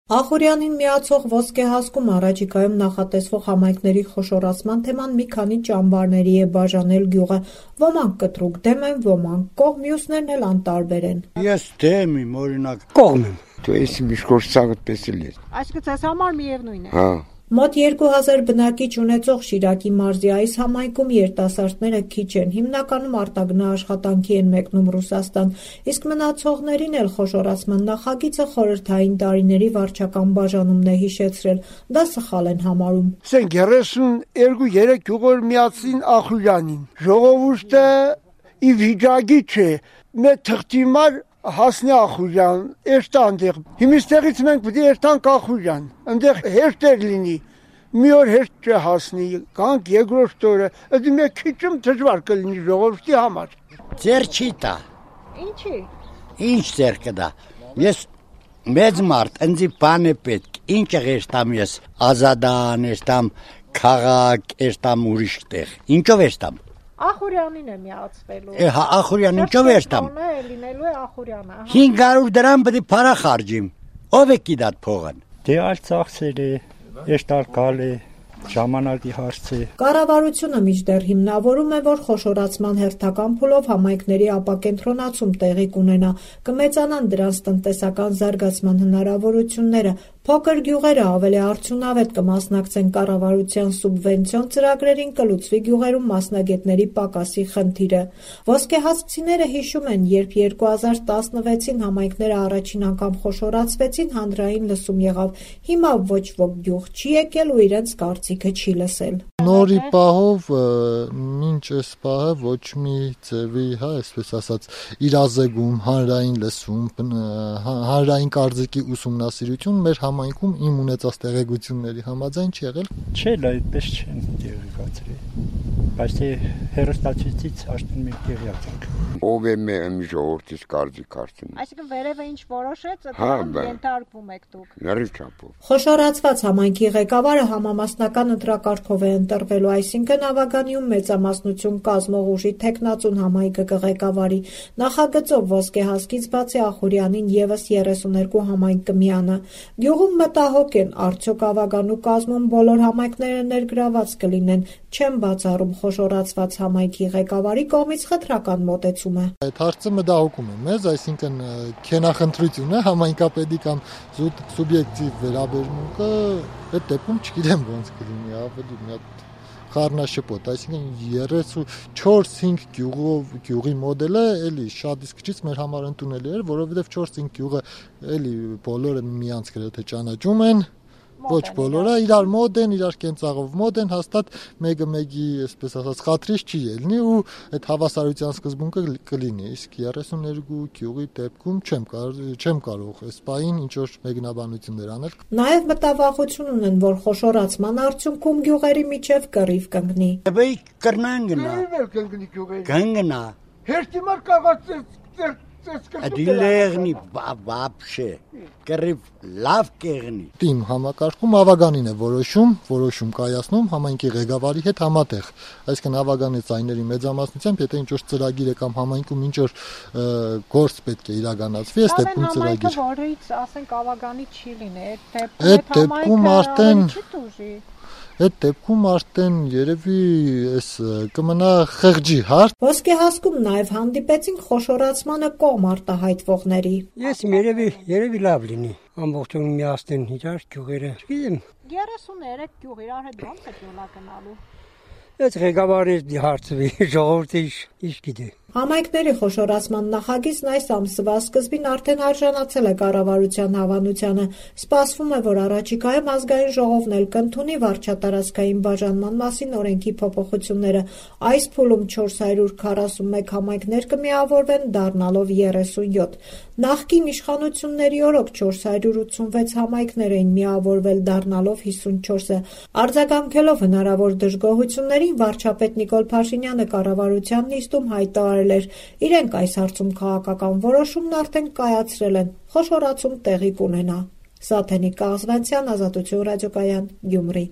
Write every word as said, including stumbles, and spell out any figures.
Ախուրյանին միացող ոսկեհասկում առաջիկայում նախատեսվող համայնքների խոշորացման թեման մի քանի ճամբարների է բաժանել գյուղը: Ոմանք կտրուկ դեմ են, ոմանք կողմ, մյուսներն էլ անտարբեր են: Ես դեմ եմ, օրինակ կողմ եմ: Դու ես միշկորսակդ պես էլ ես: Այսինքն ձեզ համար միևնույն է: Հա: Մոտ երկու հազար բնակիչ ունեցող Շիրակի մարզի այս համայնքում երիտասարդները քիչ են, հիմնականում արտագնա աշխատանքի են մեկնում Ռուսաստան, իսկ մնացողներին էլ խոշորացման նախագիծը խորհրդային տարիների վարչական բաժանումն է հիշեցրել: Դա սխալ են համարում: երեսունյոթ երեք գյուղեր միացին Ախուրյանին: Ժողովուրդը ի վիճակի չէ: Մեր թղթի մար հասնի Ախուրյան, էստանդեղ: Հիմստեղից մենք պետք է երթանք Ախուրյան, ընդեղ հեշտ էր լինի: Մի օր հեշտ չէ հասնի, կանք երկրորդ օրը, դե մեկ քիչում դժվար կլինի ժողովրդի համար: Ձեր չի տա: Ինչի՞: Ինչ ձեր կտա: Ես մեծ մարդ, ինձ բան է պետք: Ինչ եստամ ես Ազադան, եստամ քաղաք, եստամ ուրիշ տեղ: Ինչով եստամ: Ախուրյանին է միացվելու: Հա, Ախուրյան ինչով եստամ: Լինելու է Ախուրյանը: հինգ հարյուր դրամ պետք է փարա խարժիմ: Ով է կիդատ փողն: Դե այլ ծախսեր է, էստալ գալ է, ժամանակի հարց է: Կառավարությունը մինչդեռ հիմնավորում է, որ խոշորացման հերթական փուլով համայնքների ապակենտրոնացում տեղի կունենա, կմեծանան դրանց տնտեսական զարգացման հնարավորությունները, փոքր գյուղերը ավելի արդյունավետ կմասնակցեն կառավարության սուբվենցիոն ծրագրերին, կլուծվի գյուղերում մասնագետների պակասի խնդիրը: Ոսկեհասկցիները հիշում են, երբ երկու հազար տասնվեցին համայնքները առաջին անգամ խոշորացվեցին, հանրային լսում եղավ: Հիմա ոչ ոք գյուղ չի եկել ու իրենց կարծիքը չի լսել: Նորի պահով մինչ այս պահը ոչ մի ձևի, այսպես ասած, իրազեկում, հանրային լսում, հանրային կարծիքի ուսումնասիրություն մեր համայնքում իմ ունեցած տեղեկությունների համաձայն չի եղել: Չէ, այդպես չեն տեղեկացրել, բայց թե հեռուստացույցից արդեն մենք տեղյակ ենք: Ով է մեր ժողովրդից կարծիք ասում: Այսինքն վերևը ինչ որոշեց, դրան ենթարկվում եք դուք: Լրիվ չափով: Խոշորացված համայնքի ղեկավարը համամասնական ընտրակարգով է ընտրվելու, այսինքն Ավագանիում մեծամասնություն կազմող ուժի թեկնածուն համայնքը կղեկավարի: Նախագծով ոսկեհասկից բացի Ախուրյանին ևս երեսուներկու համայնք կմիանա: Գյուղում մտահոգ են, արդյոք Ավագանու կազմում բոլոր համայնքները ներգրավված կլինեն: Չեմ բացառում խոշորացված համայնքի ղեկավարի կողմից խտրական մոտեցումը: Այդ հարցը մտահոգում է մեզ, այսինքն քենախնդրություն է, համայնքապետի կամ զուտ սուբյեկտիվ վերաբերմունքը, այդ դեպքում չգիտեմ ոնց կլինի, ավելի մի հատ խառնաշփոթ: Այսինքն երեսունչորս-հինգ գյուղի մոդելը էլի շատ իսկ քիչ մեր համար ընդունելի էր, որովհետև չորս-հինգ գյուղը էլի բոլորը միմյանց գրեթե ճանաչում են, ոչ բոլորը, իրար մոտ են, իրար կենցաղով մոտ են, հաստատ մեկը մեկի, այսպես ասած, խաթրից չի ելնի ու այդ հավասարության սկզբունքը կլինի: Իսկ երեսուներկու գյուղի դեպքում չեմ կարող այս պահին ինչ որ մեկնաբանություններ անել: Նաև մտավախություն ունեն, որ խոշորացման արդյունքում գյուղերի միջև կռիվ կընկնի: Բայի կռնան գնա: Կընկնա: Հեշտի մար կաղաց Դիլեղնի բաբշե, կռիվ լավ կեղնի: Իմ համակարգում Ավագանին է որոշում, որոշում կայացնում համայնքի ղեկավարի հետ համատեղ: Այսինքն Ավագանի ձայների մեծամասնությամբ, եթե ինչ որ ծրագիր է կամ համայնքում ինչ որ գործ պետք է իրականացվի, այս դեպքում ծրագիր: Համայնքը, որից ասենք Ավագանի չի լինի, այդ դեպքում արդեն Այդ դեպքում արդեն երևի կմնա խեղճի հարց: Ոսկեհասկում նաև հանդիպեցինք խոշորացմանը կողմ արտահայտվողների: Ես երևի լավ լինի, ամբողջովին միացնեն իրար գյուղերը, չգիտեմ: երեսուներեք գյուղ, իրար հետ ո՞նց եք յոլա գնալու: Այդ ղեկավարի հարցվի, ժողովուրդը ինչ գիտի: Համայնքների խոշորացման նախագիծն այս ամսվա սկզբին արդեն արժանացել է կառավարության հավանությանը: Սպասվում է, որ առաջիկայում Ազգային ժողովն էլ կընդունի վարչատարածքային բաժանման մասին օրենքի փոփոխությունները: Այս փուլում չորս հարյուր քառասունմեկ համայնքներ կմիավորվեն, դառնալով երեսունյոթ: Նախկին իշխանությունների օրոք չորս հարյուր ութսունվեց համայնքներ էին միավորվել, դառնալով հիսունչորսը: Արձագանքելով հնարավոր դժգոհություններին, վարչապետ Նիկոլ Փաշինյանը կառավարության նիստում հայտարարել էր, իրենք այս հարցում քաղաքական որոշումն արդեն կայացրել են, խոշորացում տեղի կունենա: Սաթենիկ Կաղզվանցյան, Ազատություն ռադիոկայան, Գյումրի: